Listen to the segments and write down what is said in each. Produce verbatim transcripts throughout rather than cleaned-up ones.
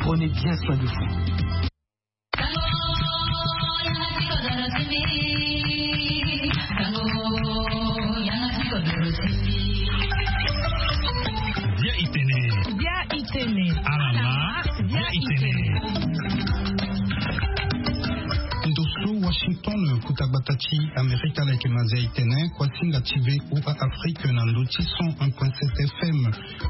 Prenez bien soin de vous. Bia itene. Bia itene. Alama. Bia itene. Ndo so Washington, kuta gbata ti Amerika, leke mazia itene, kuasinga ti V O A Afrique na ndo ti cent un point sept F M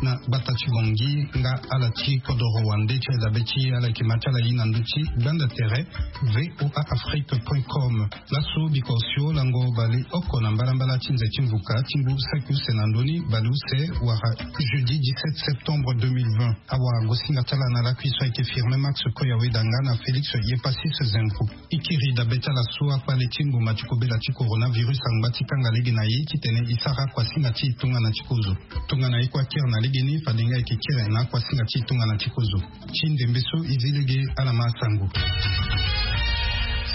na gbata ti Bangui, nga ala ti kodoro wande ti aye dabe ti ala yeke ma ti ala ye na ndo ti gbanda tere V O A Afrique point com. Laso biko osio lango baleoko na mbalambala ti nze ti mvuka ti ngu saki use na ndoni baleuse wala jeudi dix-sept septembre deux mille vingt. Awagosinga ti ala na lakui so ayeke Firmin Max Koya Wedanga na Félix Yepasis Zengro. E kiri dabe ti ala so akpale ti ngboma ti kobela ti coronavirus angba ti kanga lege na e titene e sara kuasinga ti e tongana ti kozo. Tongana e kue akiri na legeni, fade nga e yeke kiri na akuasinga ti e tongana ti kozo. Ti ndembe so e zi lege, ala ma asango.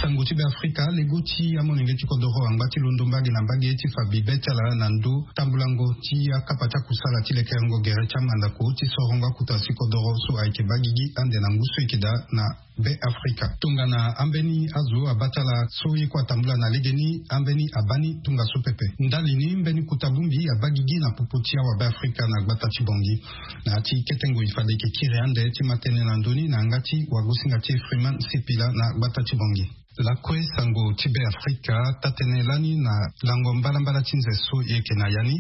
Sango ti Beafrika, lego ti amolenge ti kodoro angba ti londo mbage na mbage ti fa bibe ti ala na ndo tambulango ti akapa ti akusala ti lekerengo gere ti amandako ti sorongo akuta ti kodoro so ayeke baa gigi ande na ngu so e yeke daa na Beafrika. Tongana ambeni azo abaa ti ala so e kue atambula na legeni, ambeni abaa ni tongaso pepe. Ndali ni mbeni kota bongbi abaa gigi na popo ti awa Beafrika na gbata ti Bangui. Na ya ti kete ngoi fade e yeke kiri ande ti ma tënë na ndö ni na yanga ti wagosinga ti e Freeman Sipila na gbata ti Bangui. Lakue sango ti Beafrika, taa-tënë lani na lango mbalambala ti nze so e yeke na ya ni,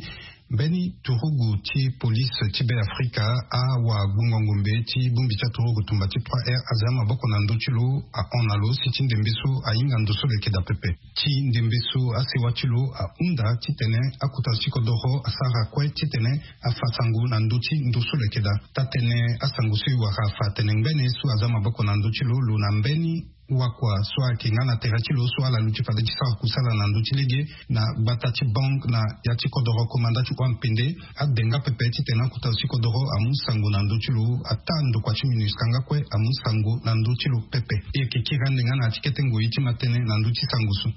mbeni turugu ti polise ti Beafrika, awagbongo ngombe ti bongbi ti aturugu tumba ti trois R, azia maboko na ndö ti lo, ahon na lo si ti ndembe so ahinga ndo so lo yeke daa pepe. Ti ndembe so asewa ti lo ahunda titene akuta ti kodoro asara kue titene afa sango na ndö ti ndo so lo yeke daa. Taa-tënë asango so e wara afa atene ngbene so azia maboko na ndö ti lo, lo na mbeni wakua so ayeke nga na tere ti lo so ala luti fade ti sara kusala na ndö ti lege na gbata ti Bangui na ya ti kodoro komanda ti Oa-Pende, ade nga pepe titene akuta ti kodoro amu sango na ndö ti lo, ataa ndokua ti MINUSCA nga kue amu sango na ndö ti lo pepe. E yeke kiri ande nga na ya ti kete ngoi ti ma tënë na ndö ti sango so.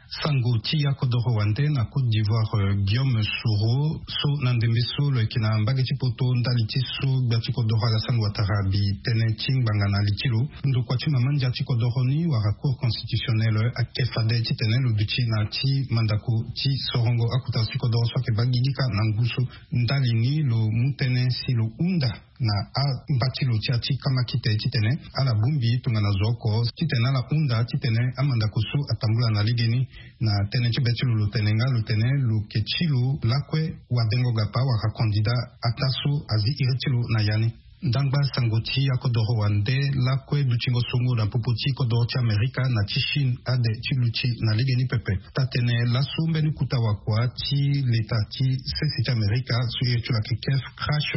Sango ti akodoro wande na Côte d'Ivoire, euh, Guillaume Soro, so na ndembe so lo yeke na mbage ti poto ndali ti so gbia ti kodoro Alassane Ouattara abi tënë ti ngbanga na li ti lo. Ndokua ti mama ndia ti kodoro ni wala Cour constitutionnelle ake fade titene lo duti na ya ti mandako ti sorongo akuta ti kodoro so ayeke baa gigi kâ na ngu so. Ndali ni lo mu tënë si lo hunda na amba ti lo ti ya ti kamakite titene ala bongbi tongana zo oko titene ala hunda titene amandako so atambula na legeni. Na tënë ti be ti lo, lo tene nga lo tene lo yeke ti lo lakue wadengo gapa wala kandida ataa so azi iri ti lo na ya ni. Ndangba sango ti akodoro wande lakue dutingo songo na popo ti kodoro ti Amerika na ti Chine ade ti luti na legeni pepe. Taa-tënë laso mbeni kota wakua ti leta ti sese ti Amerika so iri ti lo ayeke Keith Krach,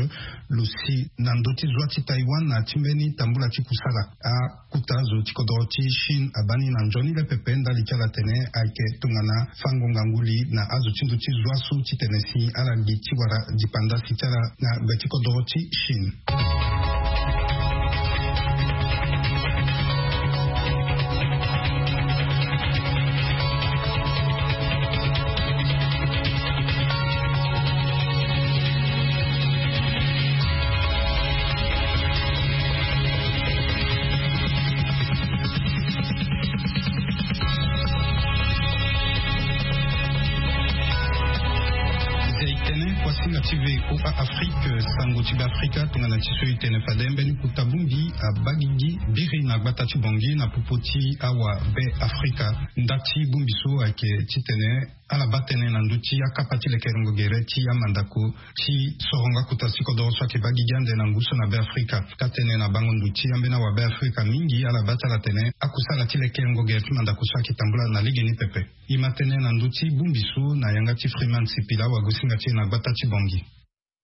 lo si na ndö ti zwa ti Taïwan na ya ti mbeni tambula ti kusala. Akuta zo ti kodoro ti Chine abaa ni na nzoni le pepe ndali ti ala tene ayeke tongana fango ngangu li na azo ti ndö ti zwa so titene si ala gi ti wara dipanda si ti ala na gbe ti kodoro ti Chine. Nze itene kuasinga ti V O A Afrique, sango ti Beafrika, tongana ti so itene fade mbeni kota bongbi abaa gigi biri na gbata ti Bangui na popo ti awa Beafrika. Nda ti bongbi so ayeke titene ala baa tënë na ndö ti akapa ti lekerengo gere ti amandako ti sorongo akuta ti kodoro so ayeke baa gigi ande na ngu so na Beafrika. Taa-tënë na bango ndo ti ambeni awa Beafrika mingi ala baa ti ala tene akusala ti lekerengo gere ti mandako so ayeke tambula na legeni pepe. E ma tënë na ndö ti bongbi so na yanga ti Freeman Sipila, wagosinga ti e na gbata ti Bangui.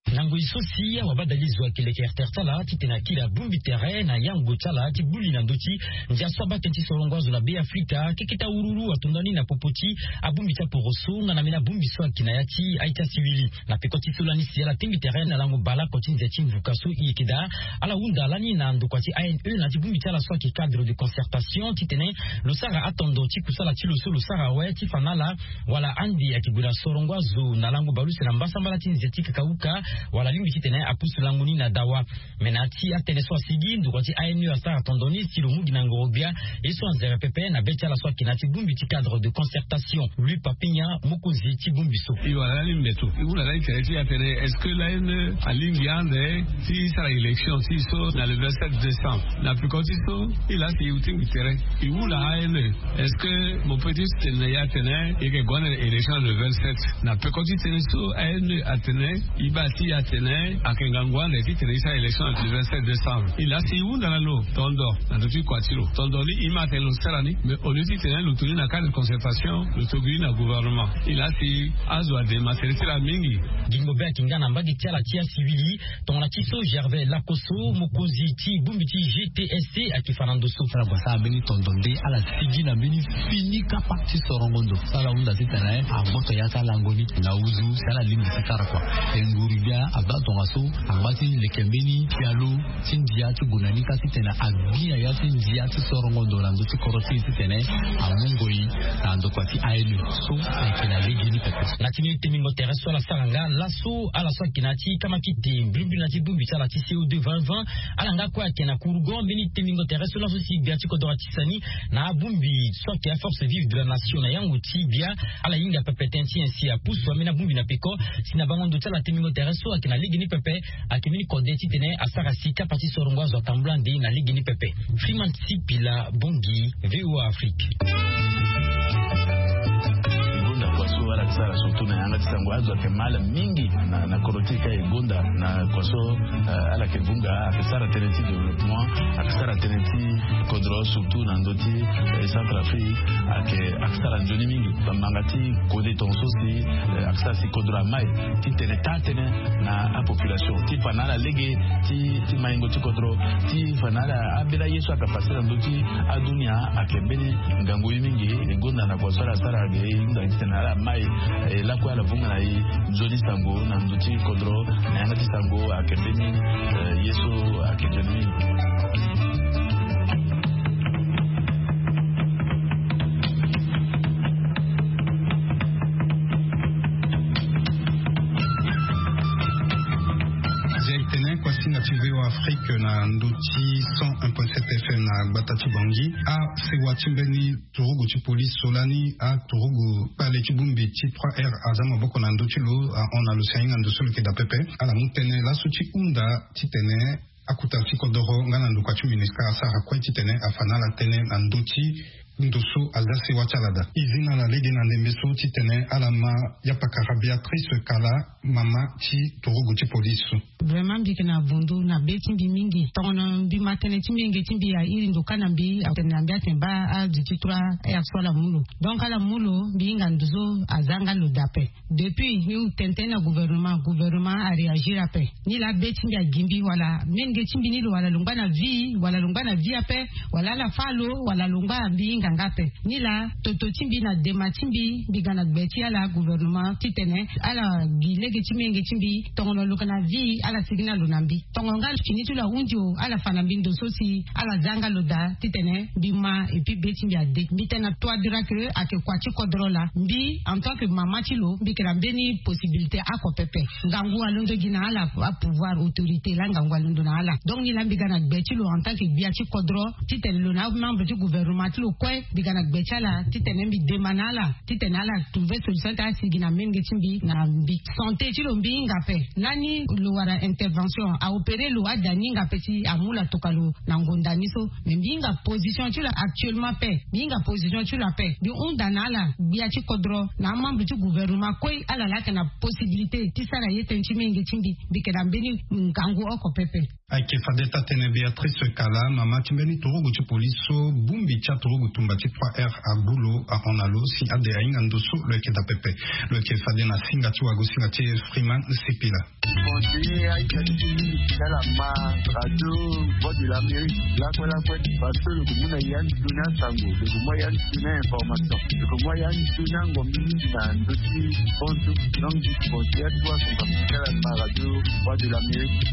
Na ngoi so si awabadalizo ayeke lekertere ti ala titene akiri abongbi tere na yango ti ala ti gbu li na ndö ti ndia so abaa tënë ti sorongo azo na Beafrika, keke ti awururu ato ndani na popo ti abongbi ti aporoso nga na mbeni abongbi so ayeke na ya ti aita sivili. Na peko ti so lani si ala tingbi tere na lango baleoko ti nze ti mvuka so e yeke daa, ala hunda lani na ndokua ti A N E na ya ti bongbi ti ala so ayeke cadre de concertation titene lo sara atondo ti kusala ti lo so lo sara awe ti fa na ala wala ande ayeke gue na sorongo azo na lango baleuse na mbasambala ti nze ti kakauka. Wala alingbi titene apusu lango ni na dawa. Me na ya ti atene so asigi, ndokua ti A N E asara tondo ni si lo mu gi na ngoro-gbia ye so anzere pepe na be ti ala so ayeke na ya ti bongbi ti cadre de concertation. Louis Papigna, mokonzi ti bongbi so. E wara lani mbeto, e hunda lani tere ti e atene est-ce que l'A N E alingbi ande ti sara élection ti e so na le vingt-sept décembre? Na peko ti so, e laa si e tingbi tere, e hunda A N E, est-ce que mo peut ti tene na e atene e yeke gue ande na élection le vingt-sept? Na peko ti tënë so A N E atene, e baa ti e atene ayeke ngangu ande titene e sara élection na le vingt-sept décembre. E laa si e hunda na lo tondo na ndö ti kua ti lo. Tondo ni e ma atene lo sara ni, mais au lieu titene lo to ni na cadre de concertation, lo to gi ni na gouvernement. E laa si azo adema tere ti ala mingi. Gingo be ayeke nga na mbage ti ala ti asiwili. Tongana ti so Gervais Lakoso, mokonzi ti bongbi ti G T S C, ayeke fa na ndo so. Ala gue asara mbeni tondo nde ala sigi na mbeni fini kapa ti sorongo ndo so ala hunda titene agboto ya ti alango ni na uzu si ala lingbi ti sara kua. E nguru-gbia abaa tongaso angba ti leke mbeni pialo ti ndia ti gue na ni ka titene agbi na ya ti ndia ti sorongo ndo na ndö ti kodro ti e titene amu ngoi na ndokua ti A N E so ayeke na lege ni pepe. Na ti mbeni tembingo tere so ala sara nga laso, ala so ayeke na ya ti kamakite mbilimbili na ti bongbi ti ala ti C O deux vingt vingt, ala nga kue ayeke na kurugo. Mbeni tembingo tere so laso si gbia ti kodro atisa ni na abongbi so ayeke aforce vive de la nation na yango ti gbia, ala hinga pepe tënë ti nyen si apusu ambeni abongbi na peko. Si na bango ndo ti ala tembingo tere so ayeke na lege ni pepe, ayeke mbeni kode titene asara si kapa ti sorongo azo atambula nde na lege ni pepe. Freeman Sipila Bongi, V O A Afrique. E gonda kua so ala yeke sara surtout na yanga ti sango, azo ayeke mal mingi na, na kodro ti e ka e gonda na kua so, eh, ala yeke vunga, ayeke sara tënë ti développement, ayeke sara tënë ti kodro surtout na ndö ti, eh, Centrafrique, ayeke, ayeke sara nzoni mingi. Bambanga ti kode tongaso si, eh, ayeke sara si kodro amai titene taa tënë na apopulation ti fa na ala lege ti, ti maingo ti kodro, ti fa na ala ambeni aye so ayeke pase na ndö ti adunia ayeke mbeni ngangu ye mingi. E gonda na kua so ala sara ge e hunda titene ala mai, eh, lakue ala vunga na e nzoni sango na ndö ti kodro na yanga ti sango ayeke mbeni, eh, ye so ayeke nzoni mingi. Zia e tene kua singa ti V O A Afrique na ndö ti cent un point sept F M na gbata ti Bangui. Asewa ti mbeni turugu ti polise so lani, aturugu kpale ti bongbi ti trois R aza maboko na ndö ti lo, ahon na lo si ahinga ndo so lo yeke daa pepe. Ala mu tënë laso ti hunda titene akota ti kodoro nga na ndokua ti MINUSCA asara kue titene afa na ala tënë na ndö ti ndo so aza sewa ti ala daa. E zi na ala lege na ndembe so titene ala ma yapakara Béatrice Kala, mama ti turugu ti polise so. Vraiment mbi yeke na vundu na be ti mbi mingi. Tongana mbi ma tënë ti mbi, yenge ti mbi airi ndo kâ na mbi, atene na mbi atene baa azo ti trois R so ala mu lo. Donc ala mu lo, mbi hinga ndo so aza nga lo daa ape. Depuis mbi hu tene tënë na gouvernement, gouvernement aréagir ape. Ni laa be ti mbi agi mbi wala menge ti mbi ni lo wala lo ngba na vie, wala lo ngba na vie ape, wala ala fâ lo, wala lo ngba, mbi hinga nga ape. Ni laa toto ti mbi na dema ti mbi, mbi ga na gbe ti ala gouvernement titene ala gi lege ti menge ti mbi. Tongana lo yeke na vie, ala sigi na lo na mbi. Tongana nga fini ti lo ahunzi o, ala fa na mbi ndo so si ala za nga lo daa titene mbi ma, et puis be ti mbi ade. Mbi tene na toi dira que ayeke kua ti kodro laa. Mbi en tant que mama ti lo, mbi yeke na mbeni possibilité oko pepe. Ngangu alondo gi na ala, apouvoir, autorité laa ngangu alondo na ala. Donc ni laa mbi ga na gbe ti lo en tant que gbia ti kodro titene lo na amembre ti gouvernement ti lo kue, mbi ga na gbe ti ala titene mbi dema na ala titene ala trouver solution ti asigi na menge ti mbi na mbi. Santé ti lo mbi hinga ape. Lani lo wara intervention, aopéré lo, ada ni hinga ape si amu lo atoka lo na ngonda ni so. Mais mbi hinga position ti lo actuellement ape. Mbi hinga position ti lo ape. Mbi hunda na ala gbia ti kodro na amembre ti gouvernement kue, ala laa ayeke na possibilité ti sara ye tënë ti menge ti mbi. Mbi yeke na mbeni ngangu oko pepe. Ayeke fade taa-tënë Béatrice Kala, mama ti mbeni turugu ti polise so bongbi ti aturugu tumba ti trois R agu lo, ahon na lo si ade ahinga ndo so lo yeke daa pepe. Lo yeke fade na singa ti wago-singa ti Freeman Sipila. Conseiller aita ti ti ala ma radio Voix de l'Amérique lakue lakue, parce que lo yeke mu na ya ni ndo ni asango, lo yeke mu ya ni ndo ni information, lo yeke mu ya ni ndo ni angombi mingi na ndö ti bonso. Donc conseiller atu asango ti ala ma radio Voix de l'Amérique.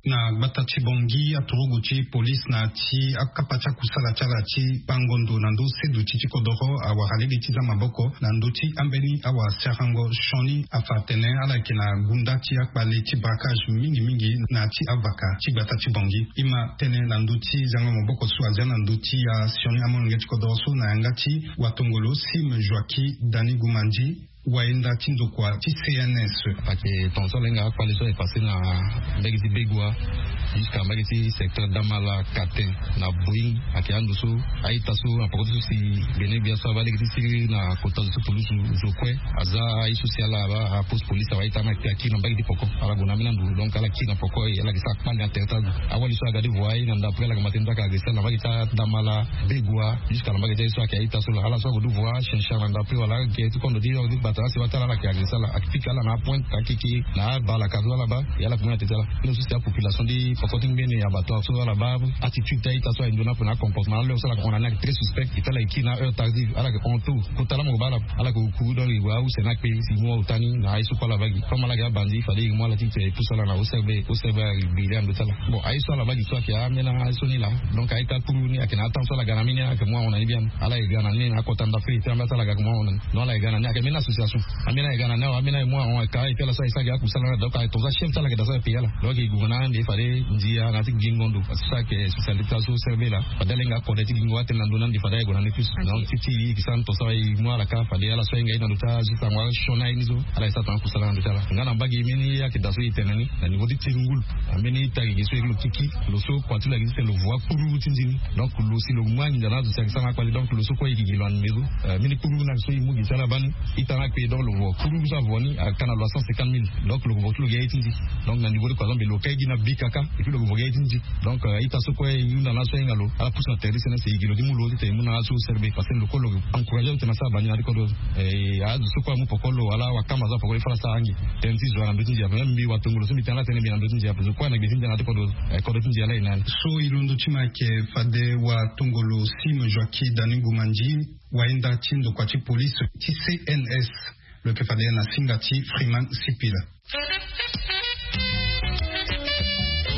Na gbata ti Bangui, aturugu ti police na ti akapa ti akusala ti ala ti bango ndo na ndö seduti ti kodoro awara lege ti za maboko na ndö ti ambeni awasarango sioni afa atene ala yeke na gunda ti akpale ti braquage mingi mingi na ti avaka ti gbata ti Bangui. E ma tene na ndö ti zango maboko so azia na ndö ti asioni amolenge ti kodoro so na yanga ti watongolo Sim Joaquim Dani Gumandi, wayenda ti ndokua ti C N S. Ayeke tongaso ala hinga akpale so aye passé na mbege ti Begoua jusqu'à mbege ti secteur Damala Katin na Boeing. Ayeke ando so a-ita so na poko ti so si gbene gbia so abaa lege ti sigi na kota zo ti pulusu zo kue aza aye so si ala abaa apose police awe a-ita ni akpe akiri na mbage ti poko. Ala gue na ambeni ando, donc ala kiri na poko e ala yeke sara kpale na tere ti azo. Awali so aga ti voie na ndapre ala yeke ma tene ti ayeke agressé ala na mbage ti adamala Begoua jusqu'à na mbage ti aye so ayeke a-ita so laa. Ala so ague ti voie chinchar na ndapre wala ake ti kondo ti yo ti gbata asi wa ti ala ala yeke agressé ala, ayeke pika ala na apointe akeke na abalaka so ala baa. E ala yeke mu na tete ala. Ni so si apopulation ti poko ti ngbene abattoir so ala baa attitude ti a-ita so aye ndo ni ape na acomportement na l'heure so ala yeke hon na ni ayeke très suspect. E ti ala yeke kiri na heure tardive, ala yeke hon tôt. Kota laa mo baa ala, ala yeke kuru donc e gue use ni akpe si e mu aota ni na aye so kue ala baa gi. Comme ala yeke abandi fade e mu ala ti tene e pousse ala na O C R B, O C R B ayeke gbi laa na ndo ti ala. Bon, aye so ala baa gi so ayeke ambeni aye so ni laa. Donc a-ita kuru ni ayeke na atemps so ala ga na ambeni ayeke mu ahon na ni biani. Ala yeke ga na ni na akota ndapre e ti ambeni aye so ala ga ayeke mu ahon na ni. Donc ala yeke ga na ni ayeke ambeni association. Ambeni aye ga na ni awe, ambeni aye mu ahon ayeke ka et puis ala so aye so ayeke akusala na donc aye tongaso achef ti ala yeke daa so aye paye ala. Donc e gue na ande fade ndia na ti gingo ndo. Parce que so ayeke spécialité ti azo O C R B laa. Fade ala hinga akode ti gingo atene na ndo na ande fade aye gue na ni plus. Donc ti ti e yeke sara ndo so aye mu ala ka fade ala so ahinga aye na ndo ti azo ti sango asioni aye ni so. Ala ye sara tongana akusala na ndo ti ala nga na mbage mbeni ye ayeke daa so e tene ni na niveau ti tiri ngulu. Ambeni ita gigi so e lo kiki lo so kua ti lo ayeke ti tene lo voie kpuru ti nzi ni. Donc lo si lo mu anginza na azo si ayeke sara na akpale donc lo so kue e gigi lo na ndembe so. Mbeni kpuru na so e mu gi ti ala baa ni. Ita ni akpe donc lo vo kpuru so avo ni aka na lo a cent cinquante mille. Donc lo vo ti lo gi aye ti nzi. Donc na niveau ti kua so mbi lo ka e gi na bi kaka. Et puis lo vo gi aye ti nzi. Donc ita so kue e hunda na azo so ahinga lo ala pousse na tere ti sene si e gi lo ti mu lo ti tene e mu na azo O C R B parce que lo kue lo encouragé lo tene asara bani na ti kodro. Azo so kue amu poko lo ala wakamba so apoko lo e fa ala sara ange. Tënë ti zo ala na ndö ti ndia ape même mbi watongolo so mbi tene ala tënë mbi na ndö ti ndia ape zo kue na gbe ti ndia na ti kodro. Kodro ti ndia laa e na ni. So e londo ti ma ayeke fade watongolo Sim Joaquim Dani Gumandi, wayenda ti ndokua ti police ti C N S. Lo yeke fade na singa ti Freeman Sipila.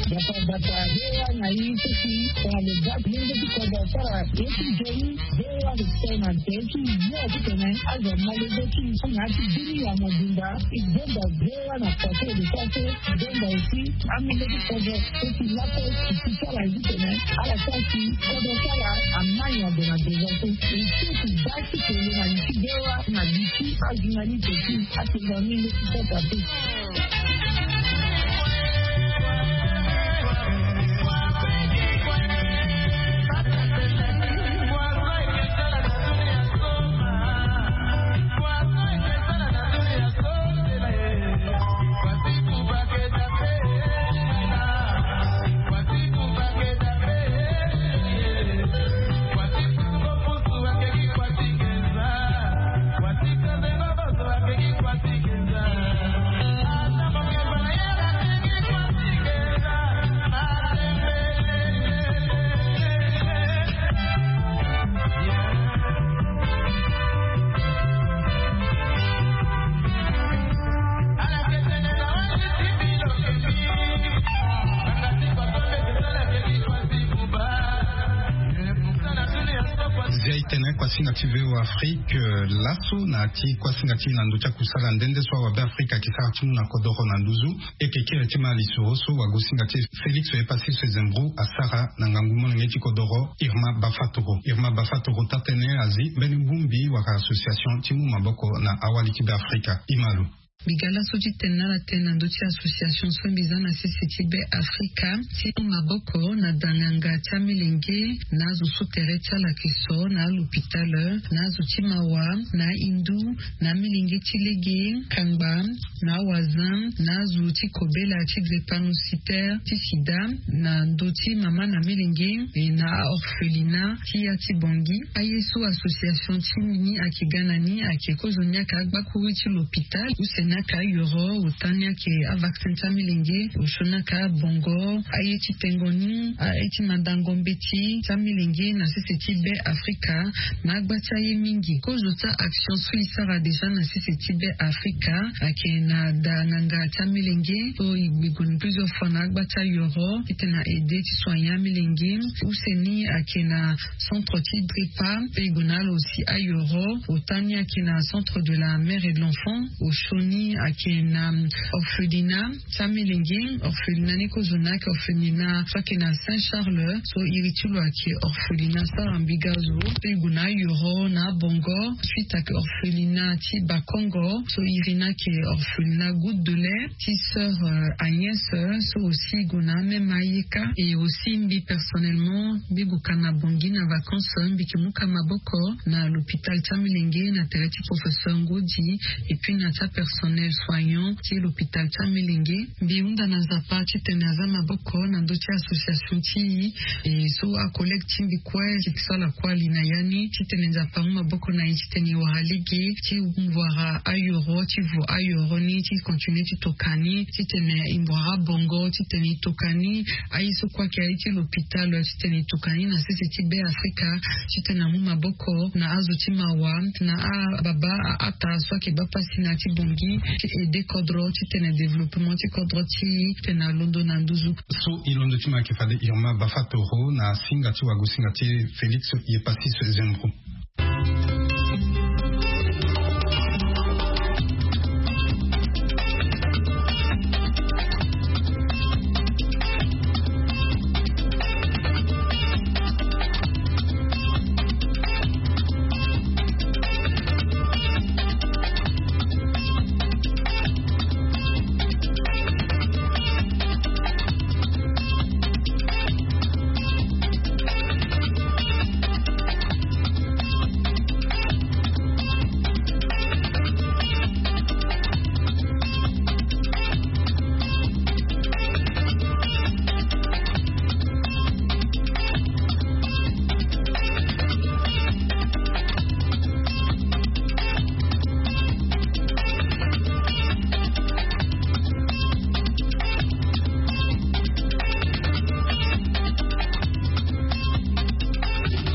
Bata bata, V O A na i ti si tongana lo ga lenge ti kodro asara ye ti nzoni. V O A respect na nze ti yo ti tene azo ma lenge ti na ti bini ya mobimba. E bongba V O A na kua so e lo sara so. E bongba aussi amolenge ti kodro so ti lakue ti sara ye ti tene ala sara si kodro ti ala ama nyango na devant so. E so ti baa ti tene na li ti V O A na li ti ajournaliste ti atenga amolenge ti kodro ape. Zia e tene kuasinga ti V O A Afrique. Laso na ya ti kuasinga ti e na ndö ti akusala nde nde so awabe Afrika ayeke sara ti mu na kodoro na nduzu. E yeke kiri ti ma lisoro so wagosinga ti e Félix Epassi Sezembro asara na ngangu molenge ti kodoro Irma Bafatoro. Irma Bafatoro taa-tënë azi mbeni bongbi wala association ti mu maboko na awali ti Beafrika. E ma lo. Mbi ga laso ti tene na ala tënë na ndö ti association so mbi za na sese ti Beafrika ti mu maboko na danganga ti amilenge na azo so tere ti ala yeke so na alopitale, na azo ti mawa, na ahindu, na amilenge ti lege, kangba, na awazin, na azo ti kobela ti drépanocytaire ti sida, na ndö ti mama na milenge, e na aorphelinat ti ya ti Bangui. Aye so association ti ni ayeke ga na ni ayeke kozo ni ayeke agbakuru ti lopitale use Naka ayoro ota ni ake avaccin ti amilenge, osio naka abongo aye ti tengo ni aye ti mandango mbeti ti amilenge na sese ti be afrika. Na agba ti aye mingi kozo ti action so e sara deja na sese ti be afrika ake na da nganga ti amilenge so e gbe gue plusieurs fois na agba ti ayoro titene a aide ti soigner amilenge. Use ni ake na centre ti drepa pe e gue na ala aussi ayoro. Ota ni ake na centre de la mère et de l'enfant. Osio ni ake na orphelina ti amilenge. Orphelina ni kozo na ake orphelina so ake na saint charles so iri ti lo ake orphelina sara mbiga zo. So e gue na ayoro na abongo suite ake orphelina ti bakongo so iri ni ake orphelina goutte de lait ti sœur agnès. So aussi e gue na ameme ayeka. Et aussi mbi personnellement mbi gue ka na bongi na vacances mbi ke mu ka maboko na l'hôpital ti amilenge na tere ti professeur ngodi. Et puis na ti apersonnel soignant ti l'hôpital ti amilenge. Mbi hunda na nzapa titene aza maboko na ndö ti association ti e so acollègue ti mbi kue si ke so ala kue ali na ya ni titene nzapa amu maboko na e titene e wara lege ti wara ayoro ti vo ayoro ni ti continue ti toka ni titene e wara bongo titene e toka ni. Aye so kue ake aye ti l'hôpital titene e toka ni na sese ti be afrika titene amu maboko na azo ti mawa na ababa aata so ake baa pasi na ya ti bongi ti aide kodro titene développement ti kodro ti e titene alondo na nduzu. So e londo ti mo ayeke fade irma bafatoro na singa ti wagosinga ti félix yepasis zembro.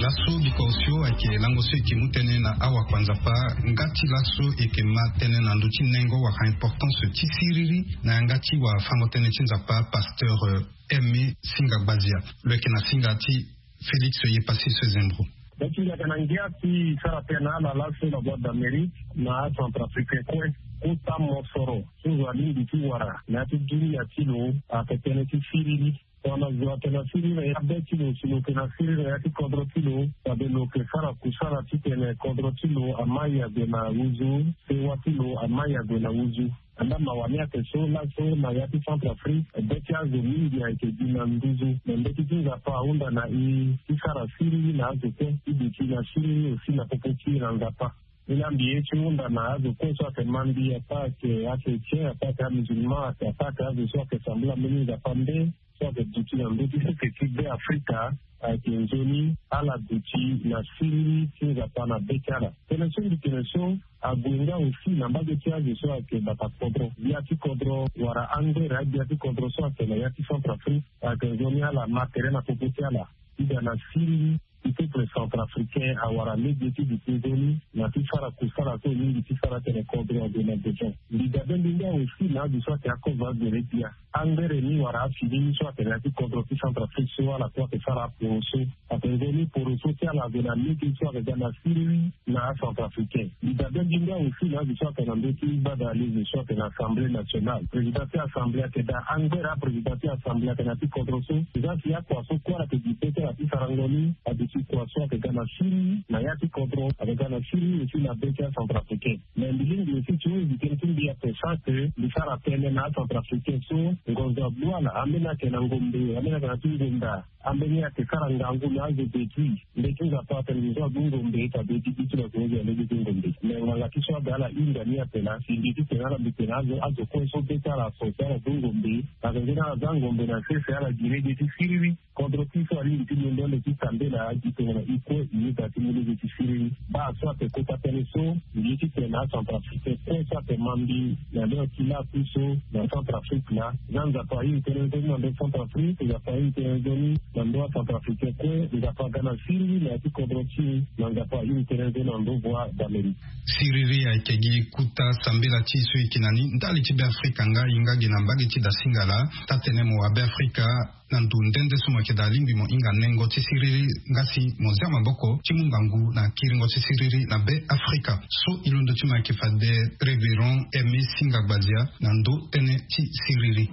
Laso biko osio ayeke lango so e ke mu tënë na awakua nzapa. Nga ti laso e ke ma tënë na ndö ti nengo wala importance ti siriri na yanga ti wafango tënë ti nzapa pasteur aimé singa gbazia. Lo yeke na singa ti félix yepasis zembro. Be ti ndia ake na ngia ti sara tënë na ala laso na boîte d'amérique na acentrafricain kue. Kota mosoro so zo alingbi ti wara na ya ti dunia ti lo ayeke tënë ti siriri. Tongana zo ayeke na siriri na ya be ti lo si lo yeke na siriri na ya ti kodro ti lo, fade lo yeke sara kusala titene kodro ti lo amai ague na uzu, sewa ti lo amai ague na uzu. Anda mawa ni ayeke so laso na ya ti centrafrique be ti azo mingi ayeke gi na nduzu. Me mbeti ti nzapa ahunda na e ti sara siriri na azo kue ti duti na siriri aussi na popo ti e na nzapa. Ni la mbi ye ti hunda na azo kue so ayeke ma mbi ataa ayeke achrétien ataa ayeke amusulman ataa ayeke azo so ayeke sambela mbeni nzapa nde so ayeke duti na ndö ti sese ti be afrika. Ayeke nzoni ala duti na siriri ti nzapa na be ti ala. Tënë so mbi tene so ague nga aussi na mbage ti azo so ayeke bata kodro, gbia ti kodro wala angbere agbia ti kodro so ayeke na ya ti centrafrique. Ayeke nzoni ala ma tere na popo ti ala ti ga na siriri ti peuple centrafricain awara lege ti duti nzoni na ti sara kusala so e lingbi ti sara tene kodro ague na beton. Mbi dabe mbi nga aussi na azo so ayeke akozo agbere gbia angbere ni wala afini ni so atene na ya ti kodro ti centrafrique so ala kue ayeke sara aporoso. Atene nzoni poroso ti ala ague na lege so ayeke ga na siriri na acentrafricain. Mbi dabe mbi nga aussi na azo so ayeke na ndö ti gbada lege so ayeke na assemblée nationale, président ti assemblée ayeke daa angbere aprésident ti assemblée ayeke na ya ti kodro so. Eza si akua so kue ala yeke gi be ti ala ti sarango ni aduti kua so ayeke ga na siriri na ya ti kodro ayeke ga na siriri aussi na be ti acentrafricain. Mais mbi lingbi aussi ti hunda tënë ti mbi ape sans que mbi sara tënë na acentrafricain so ngonzo agbu ala ambeni ayeke na ngombe ambeni ayeke na ti ngonda. Ambeni ayeke sara ngangu na azo depuis nde ti nzapa atene ngonzo agbu ngombe fade ti bi ti lo ayeke hunda lege ti ngombe. Mais nganga ti so aga ala hinga ni ape na si mbi ti tene ala mbi tene azo azo kue so be ti ala aso si ala gbu ngombe. Ayeke nzoni ala za ngombe na sese ala gi lege ti siriri. Kodro ti so alingbi ti londo ande ti sambela. Itene na ikue i yeda ti mu lege ti siriri. Baa so ate kota tënë so, mbi ye ti tene na acentrafricain kue so ate ma mbi na leo ti la apuso na centrafrique na za nzapa airi tënë nzoni na ndo centrafrique, nzapa airi tënë nzoni na ndo acentrafricain kue, nzapa aga na siriri na ya ti kodro ti e, na nzapa airi tënë nzoni na ndo voie d'amérique. Siriri ayeke gi kuta sambela ti e so e yeke na ni ndali ti beafrika nga e nga gi na mbage ti dasingala. Taa-tënë mo wa beafrika na ndo nde nde so mo yeke daa alingbi mo hinga nengo ti siriri nga si mo zia maboko ti mu ngangu na kiringo ti siriri na beafrika. So e londo ti mo ayeke fade révérend Aimé Singa Gbadia na ndo tënë ti siriri.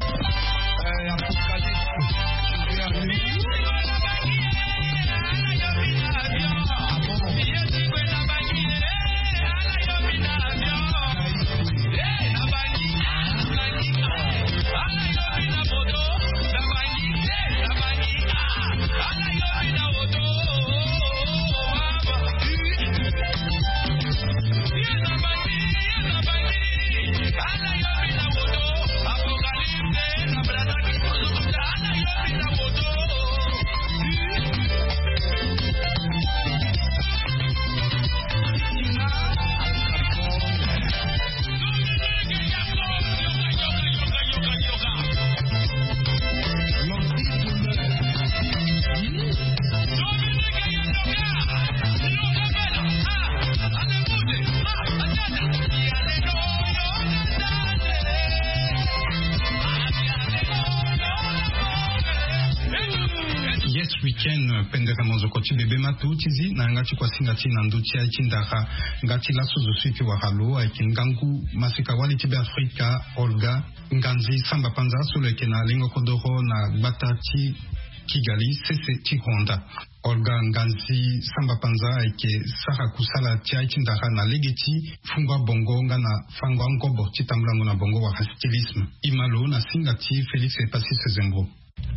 Yes, week-end pendere mozoko ti bebe matu ti zi na yanga ti kuasinga ti na ndo ti ai ti ndara. Nga ti laso zo so e ke wara lo ayeke ngangu masika wali ti beafrika, Olga Nganzi Samba Panza so lo yeke na lengo kodoro na gbata ti Kigali, sese ti Rwanda. Olga Nganzi Samba Panza ayeke sara kusala ti ai ti ndara na lege ti fungo abongo nga na fango angobo ti tambulango na bongo wala stylisme. E ma lo na singa ti Félix Epassis Zembo.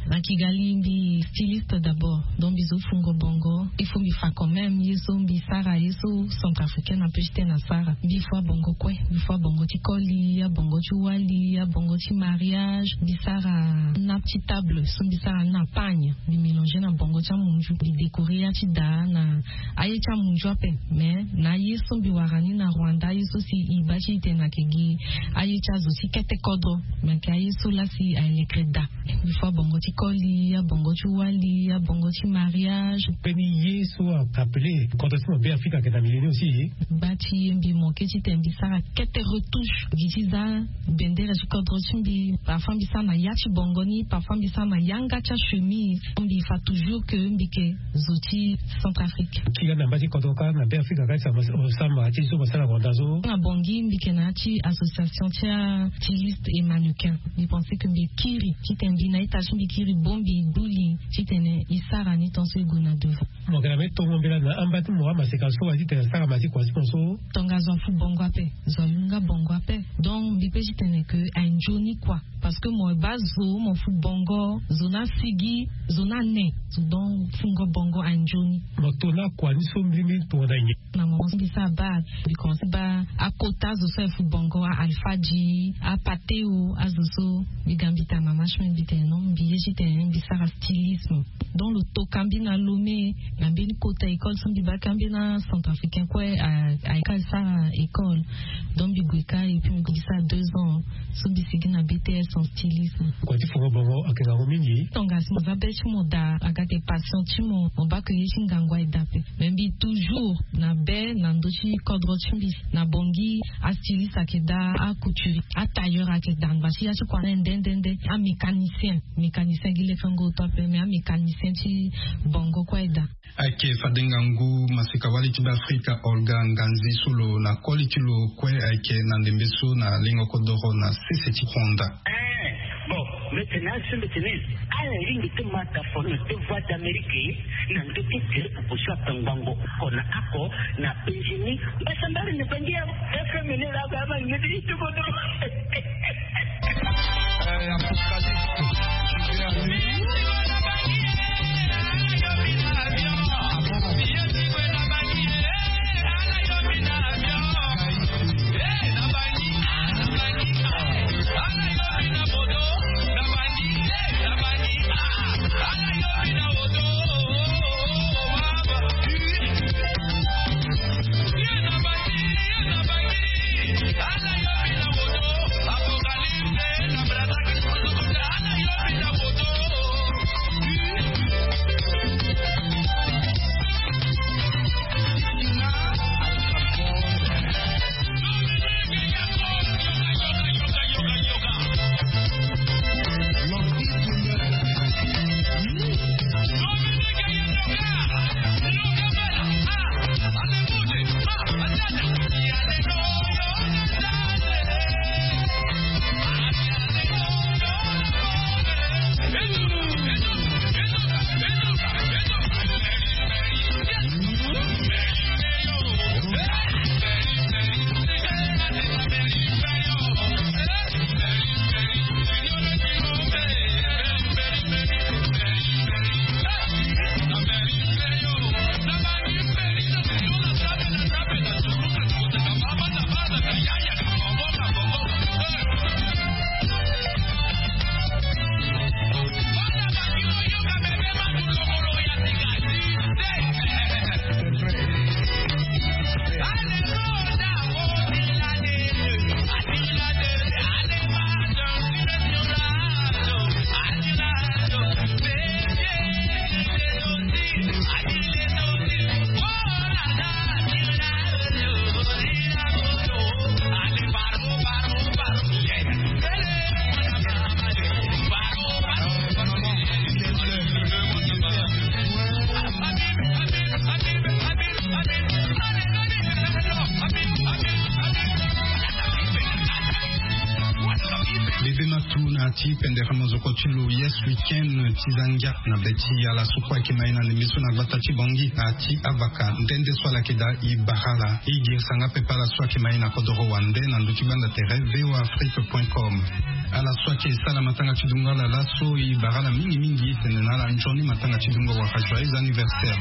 Na Kigali mbi styliste d'abord, donc mbi zo fungo bongo. Il faut mbi fa quand même ye so mbi sara, ye so centrafricain na pe ti tene asara. Mbi fo abongo kue, mbi fo abongo ti koli, abongo ti wali, abongo ti mariage. Mbi sara nappe ti table so mbi sara ni na pagne, mbi mélanger na bongo ti amunzu, mbi décorer ya ti daa na aye ti amunzu ape. Mais na aye so mbi wara ni na Rwanda, aye so si e baa ti e tene ayeke gi aye ti azo ti kete kodro, mais ayeke aye so laa si aye lekere daa. Mbi fo abongo ti koli, abongo ti wali, abongo ti mariage. Mbeni ye so a appelé kodro ti mo beafrika ayeke na milieu ni aussi. Gba ti e mbi manqué ti tene mbi sara kete retouche gi ti za bendere ti kodro ti mbi. Parfois mbi sara na ya ti bongo ni, parfois mbi sara na yanga ti achemise. Mbi fa toujours que mbi yeke zo ti Centrafrique. Kiri na mba ti kodro kâ na beafrika kâ ti sama ti so basara Rwanda so. Na Bangui mbi yeke na ya ti association ti a styliste et mannequin. Mbi pensé que mbi kiri ti tene mbi na ita ti mbi kiri bongbi, duli ti tene e sara ni tant so e gue na devant. Mo yeke na mbeni tongo mbela na amba ti mo amaseka so wa ti tene asara ma ti kua ti mo so. Tongaso afu bongo ape, zo ayu nga bongo ape. Donc mbi pe ti tene que aye nzoni kua. Parce que mo baa zo mo fu bongo, zo ni asigi, zo ni ane, zo donc fungo bongo aye nzoni. Mo to ni akua ni so mbirimbiri tongana nyen? Na moment so mbi sara bac, mbi commencé baa akota azo so aye fu bongo, a Alfadji, a Pateo, azo so mbi ga mbi tara mama ti mbi, mbi tene non, mbi ye ti tene mbi sara stylisme. Donc lo toka mbi na Lomé, na mbeni kota école so mbi baa ka mbeni acentrafricain kue a, a, asara école. Donc mbi gue ka et puis mbi sara deux ans so mbi sigi na B T S en stylisme. Kua ti fungo bongo ayeke ngangu mingi. Tongaso mo za be ti mo daa, aga ate passion ti mo, mo baa ke ye ti ngangu aye daa ape. Mais mbi toujours na be na ndö ti kodro ti mbi. Na Bangui, astyliste ayeke daa, acouturier, atailleur ayeke daa, ngba ti ya ti kua ni nde nde nde, amécanicien. Mécanicien gi lekengo oto ape, mais amécanicien ti bongo kue aye daa. Ayeke fade ngangu maseka wali ti Beafrika Olga Nganzi so lo na koli ti lo kue ayeke na ndembe so na lengo kodoro na sese ti Rwanda. Eh, bon, mbi tene na azo so mbi tene ala lingbi ti ma ta fo na ti Voix d'Amérique na ndö ti tere proposition atangbango oko na oko na Benjamin Basambari na Bangi ya F M ni la ba ma ngeti ti kodoro. Ati pendere mozoko ti lo yes weekend ti zangia na be ti ala so kue ayeke ma ye na ndembe so na gbata ti bangi ati avaka nde nde so ala yeke daa e bara ala e girisa nga pepe ala so ayeke ma ye na kodoro wande na ndö ti gbanda tere voa afrique point com. Ala so ayeke sara matanga ti dungo ala laso e bara ala mingi mingi e tene na ala nzoni matanga ti dungo wala joyeux anniversaire.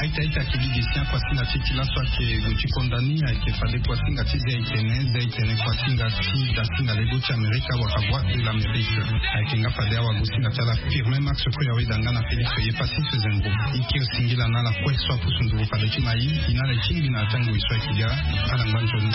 Aita aita kili de sien kuasinga ti ti laso ayeke gue ti konda ni ayeke fade kuasinga ti ze itene ze itene kuasinga ti dasinga lego ti amerika wala voie de l'amérique. Ayeke nga fade awagosinga ti ala firme max kue awe danga na félix ye pasi se zengo. Ike osingila na ala kue so apusu nduvu fade ti mai ina ala etingbi na atango e so ayeke ga. Ala ngba nzoni.